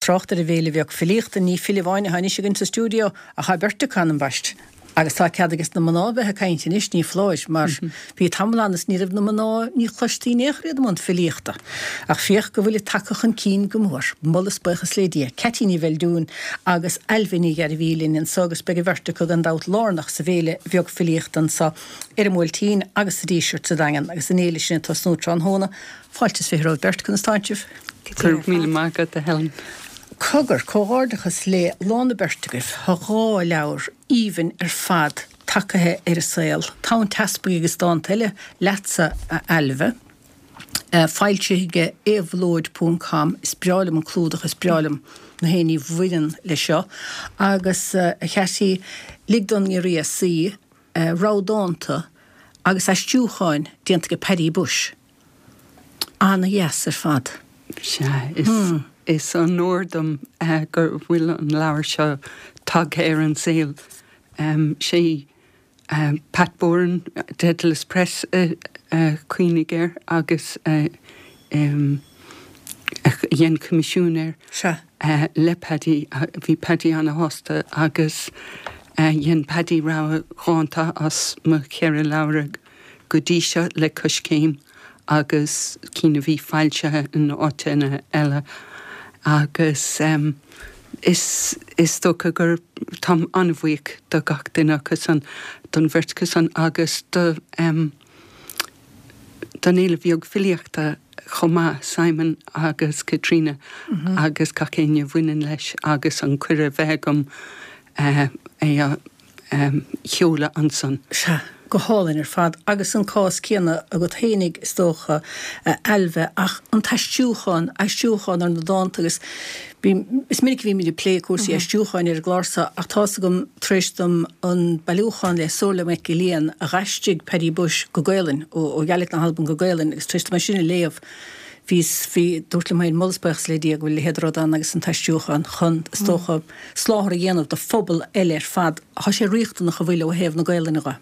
Trácht ar an bhFéile Bheag Filíochta, ní file amháin atá anois againn sa stiúideo ach tá beirt acu, ambaist. Agus tá cead ages na mná bheith ag caint anois, ní foláir, mar bhí tamall ann is ní raibh na mná, ní chloistí in aon chor iad i mbun filíochta. Ach féach go bhfuilid tagtha chun cinn go mór. Moladh is buíochas le Dia. Ceaití Ní Bheildiúin agus Ailbhe Ní Ghairbhí linn anso agus beidh an bheirt acu gan dabht lárnach sa bhFéile Bheag Filíochta anso ar an mBuailtín agus sa Díseart sa Daingean agus an fhéile sin ag tosnú tráthnóna. Fáilte is 20 romhaibh beirt, conas tánn sibh? Go raibh míle maith agat, a Helen. Cogar, comhghairdeachas le lán na beirte agaibh. Tá 2 leabhar aoibhinn ar fad tagaithe ar an saol, Tonn Teaspaigh agus Dánta Eile, leatsa, a Ailbhe, foilsithe ag Éabhlóid ponc com. Is breá liom an clúdach, is breá liom na haon ní bhaineann leis seo. Agus, a Cheaití, Lig don nGiorria Suí, rogha dánta agus aistriúcháin déanta ag Paddy Bushe. Ana-dheas ar fad. Sea, is is onóir dom go bhfuil an leabhar seo tagtha ar an saol. Sé Pat Boran, Dedalus Press a chuimhnigh air agus a dhein coimisiún air. Sea. Le Paddy, bhí Paddy ana-shásta agus dhein Paddy rogha dhánta as mo cheithre leabhar go dtí seo le Coiscéim agus cinn a bhí foilsithe in áiteanna eile agus is is dócha gur táim an-bhuíoch do gach duine acu san, don bheirt acu san agus do don Fhéile Bheag Filíochta chomh maith, Simon agus Caitríona agus gach éinne a bhaineann leis agus an cuireadh a bheith agam é a sheoladh ansan. Sea, go hálainn ar fad. Agus an cás céanna agat fhéinig, is dócha, a Ailbhe, ach an t-aistriúchán, aistriúchán ar na dánta agus bím, is minic a bhímid ag plé cúrsaí aistriúcháin ar an gclár seo ach tá's agam tar éis dom an bailiúchán le Somhairle MacGill-Eain a dh'aistrigh Paddy Bushe go Gaelainn, ó Ghaidhlig na hAlban go Gaelainn agus tar éis dom é sin a léamh, bhíos, bhí, dúrt liom féin, moladh is buíochas le Dia go bhfuil a leithéid de rud ann agus an t-aistriúchán chun, is dócha, soláthar a dhéanamh do phobal eile ar fad. Tá sé riachtanach an bhfuil ó thaobh na Gaelainne dhe,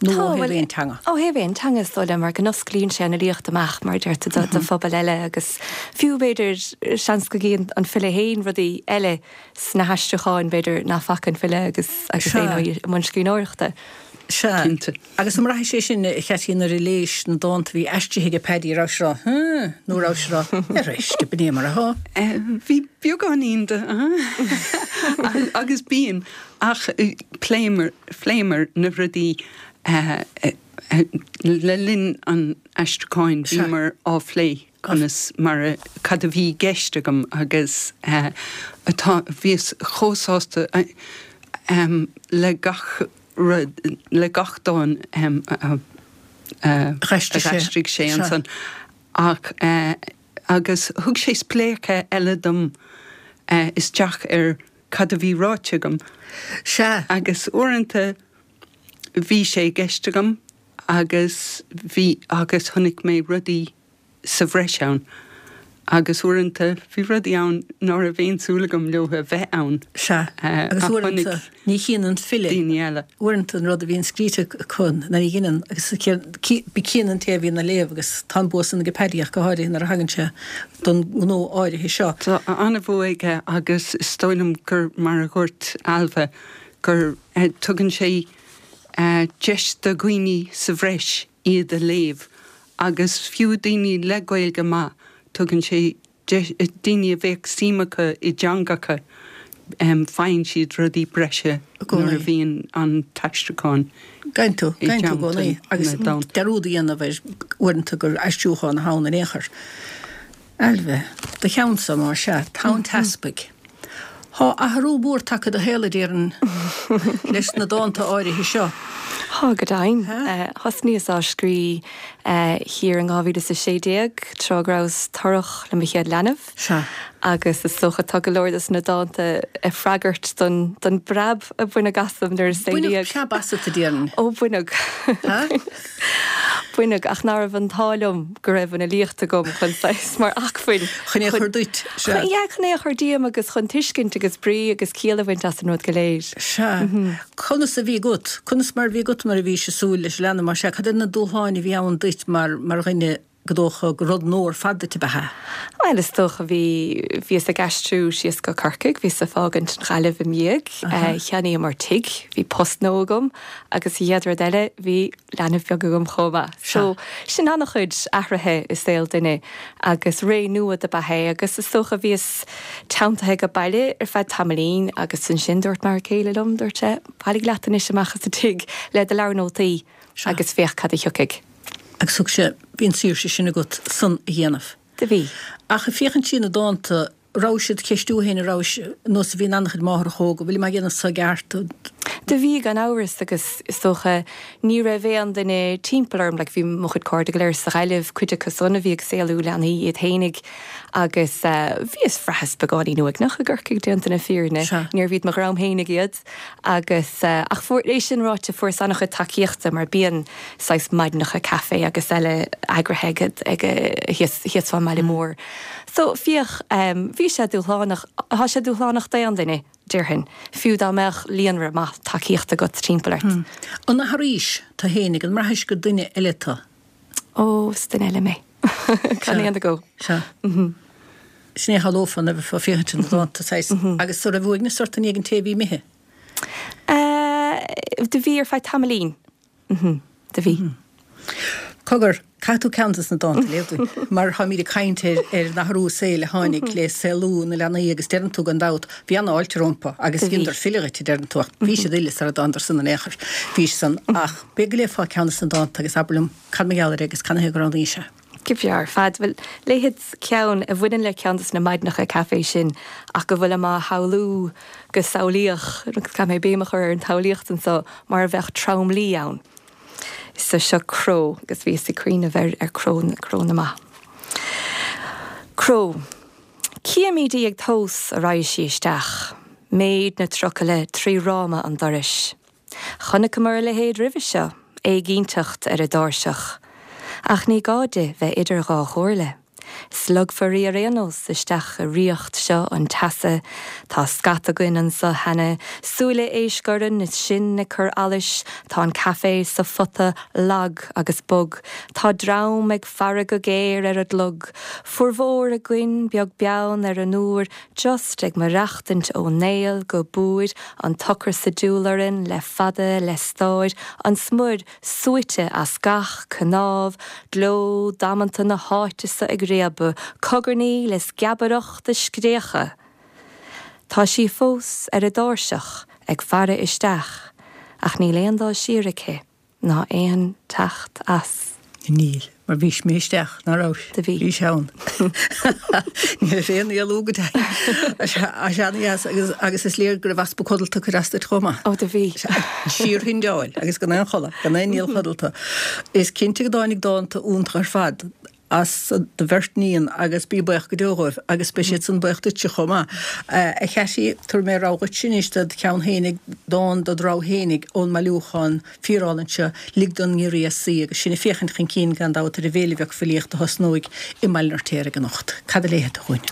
nó ó thaobh aon teanga? Ó thaobh aon teanga is dóigh liom, mar go n-osclaíonn sé an fhilíocht amach, mar a deir tú, do phobal eile agus fiú, b'fhéidir, seans go gcíonn an file féin rudaí eile sna haistriúcháin, b'fhéidir, nach bhfaca an file agus agus é i mbun scríbhneoireachta. Sea. Cinnte. Agus an mbraithfidh sé sin, a Cheaití, nuair a léis na dánta a bhí aistrithe ag Paddy, raibh sé rá, Huh? nó raibh sé rá, Ar éist, b'in é mar atá? Bhí beagáinín de huh agus bíonn, ach phléamar, phléamar na rudaí le linn an aistriúcháin, bhíomar á phlé conas mar a, cad a bhí i gceist agam agus atá, bhíos chomh sásta le gach rud, le gach dán a d'aistrigh sé ansan ach agus thug sé spléachadh eile dom isteach ar cad a bhí ráite agam. Sea. Agus uaireanta bhí sé i gceist agam agus bhí agus chonaic mé rudaí sa bhreis ann agus uaireanta bhí rudaí ann ná raibh aon súil agam leo a bheith ann. Sea, agus uaireanta ní chíonn an file, daoine eile. uaireanta an rud a bhíonn scríte acu ná ní dheineann agus cíonn an té a bhíonn á léamh agus tá an bua san ag Paddy ach go háirithe nuair a thagann sé don ngnó áirithe seo. Tá an-bhua aige agus is dóigh liom gur mar a dhúirt Ailbhe gur tugann sé deis do dhaoine sa bhreis iad a léamh agus fiú daoine le Gaeilge maith, tugann sé deis, daoine a bheadh suim acu i dteangacha, faigheann siad rudaí breise nuair a bhíonn an t-aistriúchán i dteannta agus dearúd a dhéanamh air uaireanta gur aistriúchán atá ann in aon chor. Ailbhe, do cheannsa, más ea, Tonn Teaspaigh. Thá athrú mór tagtha i do shaol, a déarfainn, leis na dánta áirithe seo. Thá, go deimhin. Thosnaíos á scrí thiar in 2016, tráth go rabhas torrach le mo chéad leanbh. Sea. Agus is dócha tá go leor dos na dánta ag freagairt don don bpreab a baineadh asam nuair a saolaíodh. Baineadh preab asat, a déarfainn. Ó, baineadh. Baineadh, ach ná raibh an t-ádh liom go raibh an fhilíocht agam chun saghas mar acmhainn. Chun é a chur duit, sea. Yeah, chun é a chur díom agus chun tuiscint agus brí agus ciall a bhaint as an rud go léir. Sea. Conas a bhí agat, conas mar a bhí agat nuair a bhís ag súil leis an leanbh, más ea, cad iad na dúshláin a bhí ann duit mar, mar dhuine? Go dócha gur rud nua ar fad duit ab ea é? Bhuel, is dócha, bhí, bhíos ag aistriú síos go Corcaigh, bhíos ag fágaint an Ghaillimh im dhiaidh, cheannaíomar tigh, bhí post nua agam agus an chéad rud eile, bhí leanbh beag agam chomh maith. So, sin an-chuid athruithe i saol duine agus ré nua dob ea é agus is dócha bhíos teanntaithe go baile ar feadh tamaillín agus ansin dúirt m'fhear céile liom, dúirt sé, bailigh leat anois amach as an tigh le do leabhar nótaí agus féach cad a thiocfaidh. Agus thug sé, bhí an tsaoirse sin agat san a dhéanamh. Do bhí. Ach ag féachaint trí na dánta, rabhais ag ceistiú féin an rabhais, nós a bhíonn an-chuid máithreacha óga, bhfuil mé ag déanamh seo i gceart? Do bhí, gan amhras, agus is dócha ní raibh aon duine timpeall orm, like bhí mo chuid cairde go léir sa Ghaillimh, cuid acu san a bhí ag saolú leanaí iad fhéinig agus bhíos, bhraitheas beagáinín uaigneach i gCorcaigh, déanta na fírinne, níorbh iad mo dhream fhéinig iad. Agus, ach fuair, é sin ráite, fuaireas an-chuid tacaíochta mar bíonn saghas maidineacha caife agus eile eagraithe ag, ag, thíos, thíos fán mbaile mór. So, féach, bhí sé dúshlánach, tá sé dúshlánach d'aon duine, déarfainn, fiú dá mbeadh líonra maith tacaíochta agat timpeall ort. An athraís tu fhéinig, an mbraithis gur duine eile tu? Ó, is duine eile mé. Gan aon agó. Sea. Sin é a shamhlófá nuair a bheifeá ag féachaint ar na dánta, saghas. Agus an raibh uaigneas ort i ndiaidh an té a bhí imithe? Do bhí ar feadh tamaillín. Do bhí. Cogar, caithfidh tú ceann des na dánta a léamh dúinn, mar táimid ag caint ar ar an athrú saoil a tháinig le saolú na leanaí agus deireann tú gan dabht, bhí an-fháilte rompu agus dheineadar file dhuit, a deireann tú, ach bhí siad uile sara dtánadar san in aon chor. Bhí san. Ach b'fhéidir go léifeá ceann des na dánta agus abair liom cad mar gheall air é agus canathaobh gur roghnaís é. Go breá ar fad. Bhuel, léifead ceann a bhaineann le ceann des na maidineacha caife sin ach go bhfuilim á shamhlú go samhlaíoch, agus caithfidh mé béim a chur ar an tsamhlaíocht anso, mar a bheadh trom-luí ann. So seo Cró, agus bhíos ag cuimhneamh ar ar cró, cró na mba. Cró. Címid í ag tomhas a raghaidh sí isteach, méid na trucaile tri fhráma an dorais. Chonaiceamar a leithéid roimhe seo, éiginnteacht ar an dtairseach. Ach ní gá di bheith idir dhá chomhairle. Slogfar í ar aon nós isteach i ríocht seo an teasa. Tá scata againn anso cheana, súile éisc orainn is sinn ag cur allais, tá an caife sa phota lag agus bog, tá dream ag faire go géar ar an gclog, formhór againn beag beann ar an uair, Just ag maireachtaint ó néal go búir, an t-ocras ag diúl orainn le fada le stáir, an smuir suaite as gach cnámh, gleo damanta na háite so ag réabadh, cogarnaíl is geabaireacht is scréacha. Tá sí fós ar an dtairseach ag faire isteach ach níl aon dul siar aici. ná aon teacht as. Níl, mar bhís imithe isteach, ná rabhais? Do bhí. Bhís ann. Ní raibh aon éalú go deimhin. Sea, ana-dheas agus, agus is léir go raibh easpa codlata ag cur as duit chomh maith. Ó, do bhí. Sea, síorshindeáil agus gan aon chodladh, gan aon níl codlata. Is cinnte go dtáinig dánta iontacha ar fad as do bheirt níon agus bí buíoch go deo dhóibh agus beidh siad san buíoch duitse chomh maith. A Chattie, tabharfaidh mé rogha dhuitse anois dod cheann fhéinig, dán dod rogha fhéinig ón mbailiúchán fíorálainn seo, Lig don nGiorria Suí agus sinn ag féachaint chun cinn gan dabht ar an bhféile bheag filíochta a thosnóidh i mBaile an Fheirtéaraigh anocht. Cad a léifidh tú dhúinn?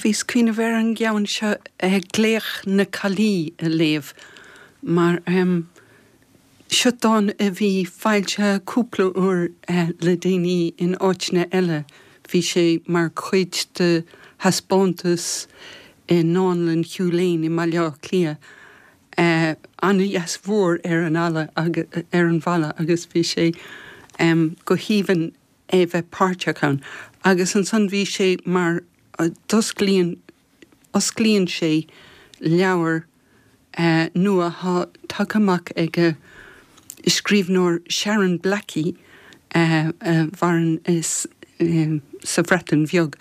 Bhíos ag cuimhneamh ar an gceann seo, Glaoch na Caillí a léamh mar Seo dán a bhí foilsithe cúpla uair le déanaí in áiteanna eile. Bhí sé mar chuid de thaispeántas i nDánlann Hugh Lane i mBaile Átha Cliath. Ana-dheas mhór ar an fhalla ar an bhalla agus bhí sé go haoibhinn é bheith páirteach ann. Agus ansan bhí sé mar d'osclaíonn osclaíonn sé leabhar nua atá tagtha amach ag an scríbhneoir Sharon Blackie a mhaireann sa Bhreatain Bheag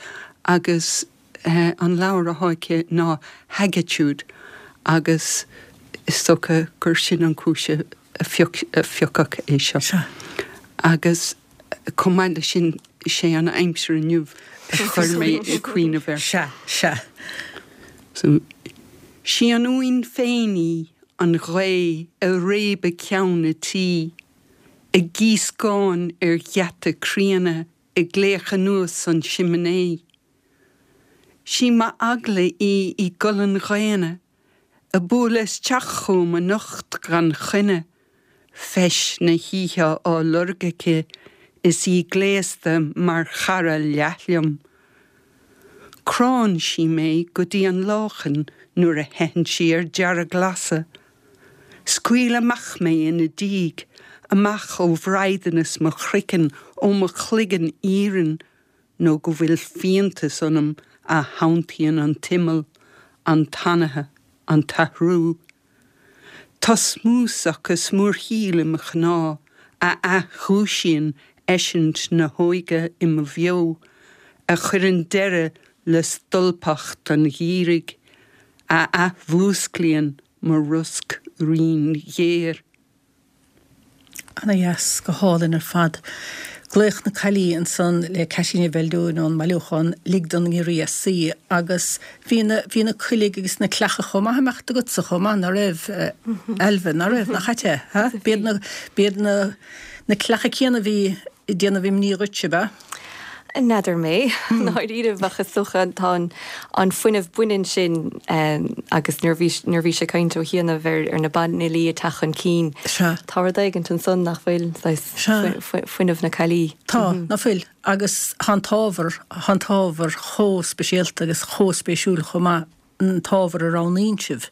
agus an leabhar atá aici ná Haggitude agus is dócha gur sin an chúis a phiocadh é seo. Agus. Chomh maith leis sin, is é an aimsir inniu a chuir mé ag cuimhneamh air. Sea, sea. So, 'Sí an uain féin í, an ghaoth ag réabadh ceann a' tí, ag gíoscán ar gheata críonna, ag glaoch anuas an simné. 'Sí m'eagla í i gcolainn dhaonna, Ag bualadh isteach chugam anocht gan choinne, feis na hoíche á lorg aici. Is í gléasta mar chara leath liom. Cránn sí mé go dtí an láchan nuair a theitheann sí ar dearglasadh. Scaoil amach mé ina diaidh, amach ó bhraighdeanas mo chraicinn, ó mo chloigeann iarainn, nó go bhfuil fiántas ionam a shantaíonn an t-imeall, an t-anaithe, an t-athrú. Tá smúsach is múrthaíl i mo chneá a athdhúisíonn eisint na hóige i mo bheo, a chuireann deireadh le stolpacht an gheimhridh, a athmhúsclaíonn mo rosc righin ghéar. Ana dheas, go hálainn ar fad. Glaoch na Caillí ansan le Ceaití Ní Bheildiúin ón mbailiúchán Lig don nGiorria Suí agus bhí na, bhí na coiligh agus na cleacha chomh maith ag imeacht agatsa chomh maith, ná raibh, Ailbhe, ná raibh, nach ait é, ha? B'iad na, b'iad na, na cleacha céanna a bhí ag déanamh imní dhuit, ab ea? N'fheadar mé, ndáiríre, ach is dócha tá an fuinneamh baineann sin agus nuair bhí nuair bhí sé ag caint ó chianaibh ar ar na banfhilí ag teacht chun cinn, tá rud éigint ansan nach bhfuil, saghas fuinneamh na caillí. Tá, ná fuil, agus tá an t-ábhar, tá an t-ábhar chomh speisialta agus chomh spéisiúil chomh maith. an t-ábhar a roghnaíonn sibh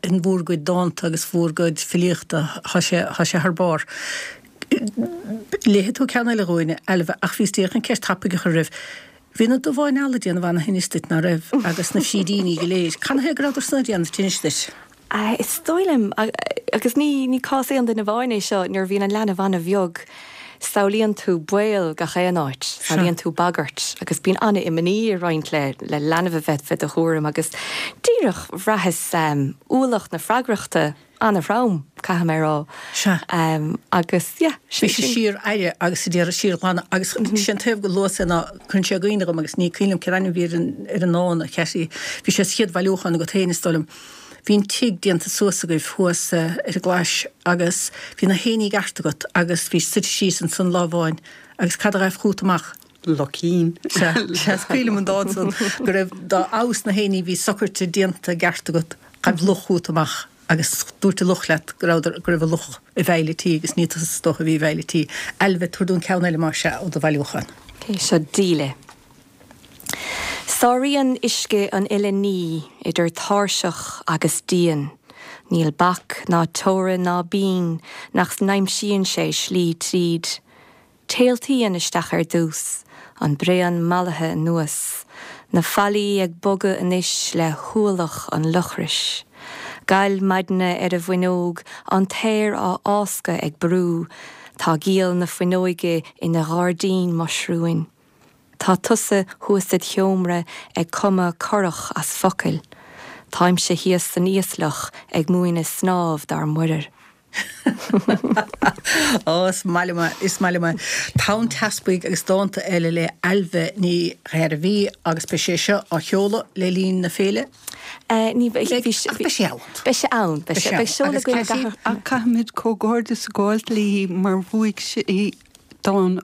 in bhúr gcuid dánta agus bhúr gcuid filíochta, tá sé, tá sé thar barr. Léifidh tú ceann eile dhúinn, a Ailbhe, ach bhíos díreach chun ceist tapaidh a chur roimh. Bhí na dubháin alla ag déanamh ana-thinnis duit, ná raibh, agus na frídíní go léir. Canathaobh go rabhadar san ag déanamh tinnis duit? Is dóigh liom, agus ní cás aon duine amháin é seo, nuair a bhíonn an leanbh an-bheag, samhlaíonn tú baol gach aon áit, samhlaíonn tú bagairt agus bíonn an-imní ag roinnt le leanbh a bheith fé do chúram agus díreach bhraitheas ualach na freagrachta an-throm, caithfidh mé a rá. Sea. Agus yeah, sin. Bhí sé síor-aire agus a d'iarraidh síorghlanadh agus sé an taobh go luas é ná cuireann sé i gcuimhne dhom agus ní cuimhin liom cén ainm a bhí ar an ar an ndán a Cheaití, bhí sé sa chéad bhailiúchán agat féin is dóigh liom. Bhí an tigh déanta suas agaibh thuas ar an gClais agus bhí na héinní i gceart agat agus bhís suite síos ansan lá amháin agus cad a ghaibh chút amach? Luchín. Sea, sea, is cuimhin liom an dán san go raibh dá fheabhas na héinní bhí socraite déanta i gceart agat, ghaibh luch chút amach agus dúirt an luch leat go rabhadar, go raibh an luch i bhfeighil an tí agus ní tusa is dócha a bhí i bhfeighil an tí. Ailbhe, tabhair dúinn ceann eile más ea ó do bhailiúchán. Ok, seo Díle. Sáraíonn uisce an uile ní idir tairseach agus díon. Níl bac ná teorainn ná binn nach n-aimsíonn sé slí tríd. Téaltaíonn isteach ar dtús, an braon mallaithe anuas, na fallaí ag bogadh anois le hualach an lochrais. Gal maidne ar an bhfuinneog, an t-aer á fháscadh ag brú, tá giall na fuinneoige ina ghairdín muisriúin. Tá tusa thuas id sheomra ag cumadh curach as focail. Táimse thíos san íosloch ag múineadh snámh dár muirear. Á, is maith liom é, is maith liom é. Tonn Teaspaigh agus dánta eile le Ailbhe Ní Ghairbhí agus beidh sé seo á sheoladh le linn na féile. Ní bheidh, bhí, Ach beidh sé ann. Beidh sé ann, beidh sé, beidh seoladh againn i gcathair. Ach caithfimid comhghairdeas a ghabháilt léi mar bhuaigh sí dán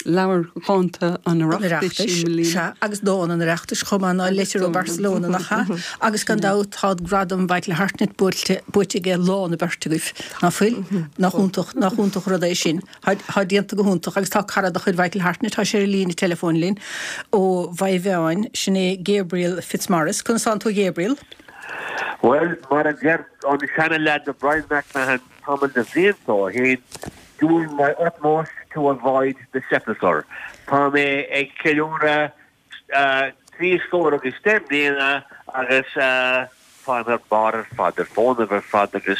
leabhar dhánta an Oireachtais i mbliana. Sea, agus dán an Oireachtais chomh maith ná Leitir ó Barcelona, nach ea? Agus gan dabht tá gradam Mhichael Hartnett buailte, buaite aige lán an bheirt agaibh, ná fuil? Nach iontach, nach iontach rud é sin. Tá, tá déanta go hiontach agus tá cara de chuid Mhichael Hartnett, tá sé ar an líne teileafóin linn ó Mhaigh Mheáin, sin é Gabriel Fitzmaurice. Conas tánn tú a Ghabriel? Bhuel, mar a deir an seana-leaid Brian McMahon tamall de bhlianta ó shin, Doing my utmost to avoid the sepulchre. Tá mé ag ceiliúradh 30 scór agus 10 mbliana agus táim ar barr ar fad, ar fónamh ar fad agus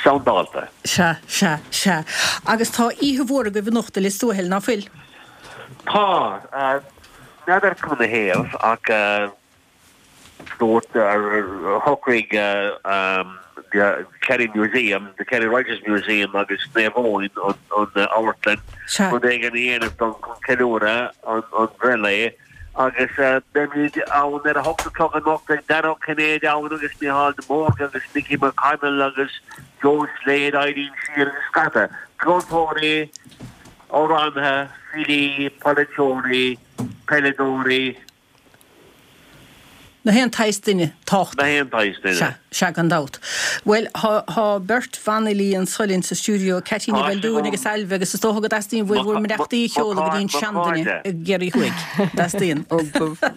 soundálta. Sea, sea, sea. Agus tá oíche mhór agaibh anocht i Lios Tuathail, ná fuil? Tá. N'fheadar canathaobh ach. Dúirt, shocraigh The Kerry Museum, The Kerry Writers Museum agus Naomh Eoin, an amharclann, rud éigin a dhéanamh don chun ceiliúradh an bhreithlae agus beimid ann ar a hocht a chlog anocht. Beidh Dan Ó Cinnéide ann agus Mícheál de Mórdha agus Mickey McConnell agus Joe Slade, Eileen Sheehan agus scata ceoltóirí, amhránaithe, filí, polaiteoirí, peileadóirí. Na haon tsaghas duine tábhachtach. Na haon tsaghas duine. Sea, sea, gan dabht. Bhuel, thá, thá beirt bhanfhilí anso linn sa stiúideo, Ceaití Ní Bheildiúin agus Ailbhe, agus is dócha go dteastaíonn uaibh bhur mbeannachtaí a sheoladh go dtí an seanduine i gCiarraí Thuaidh. Dteastaíonn. Ó, ba,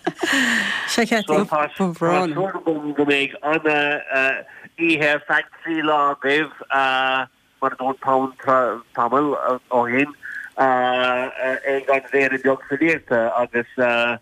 Sea, Ceaití. So tá, tá súil agam go mbeidh an-oíche ar feadh 3 lá agaibh, mar a dúirt Paul tamall ó shin, ag an bhFéile Bheag Filíochta agus,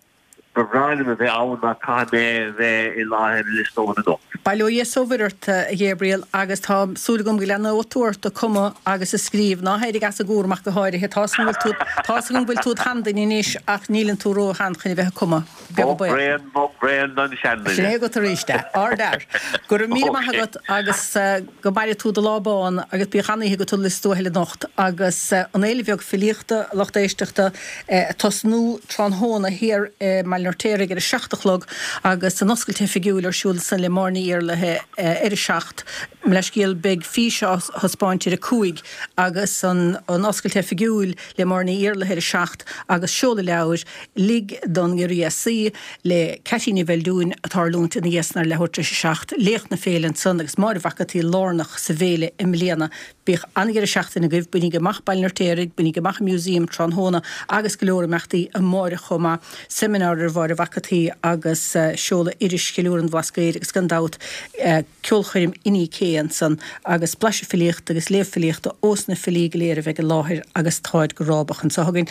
Ba bhreá liom a bheith ann ach caithfidh mé a bheith i láthair i Lios Tuathail anocht. Bail ó Dhia 's ó Mhuire ort, a Ghabriel, agus tá súil agam go leanóidh tú ort ag cumadh agus ag scríobh. Ná héirigh as an gcúram ach go háirithe. Tá's agam go bhfuil tú, tá's agam go bhfuil tú id sheanduine anois ach níleann tú ró-shean chun a bheith ag cumadh. Beag an baol. Bog bréan, bog bréan don seanduine. Sin é agat arís é. Ardfhear. Go raibh míle maith agat agus go maire tú do lá bán agus bíodh an-oíche agat i Lios Tuathail anocht agus an Fhéile Bheag Filíochta, a lucht éisteachta, ag tosnú tráthnóna thiar i mBaile an Fheirtéaraigh ar a 7 a chlog agus an oscailt oifigiúil ar siúl ansan le Máire Ní Iarlaithe ar a 7. Mo leithscéal, beidh fís á thaispeáint ar a 5 agus an oscailt oifigiúil le Máire Ní Iarlaithe ar a 7 agus seoladh leabhair Lig don Ghiorria Suí le Ceaití Ní Bheildiúin ag tarlúint ina dhiaidh san ar leathuair tar éis a 7. Léacht na féile ansan agus Máire Mhac an tSaoi lárnach sa bhféile i mbliana. Bíodh an-dheireadh seachtaine agaibh, bainígí amach Baile an Fheirtéaraigh, bainígí amach an Museum tráthnóna agus go leor imeachtaí amáireach chomh maith, seimineár ar Mháire Mhac an tSaoi agus seoladh iris Cheiliúradh an Bhlascaoid agus gan dabht ceolchoirm Inni K ansan agus blaiseadh filíochta agus léamh filíochta ós na filí go léir a bheidh i láthair agus táid go rábach anseo againn.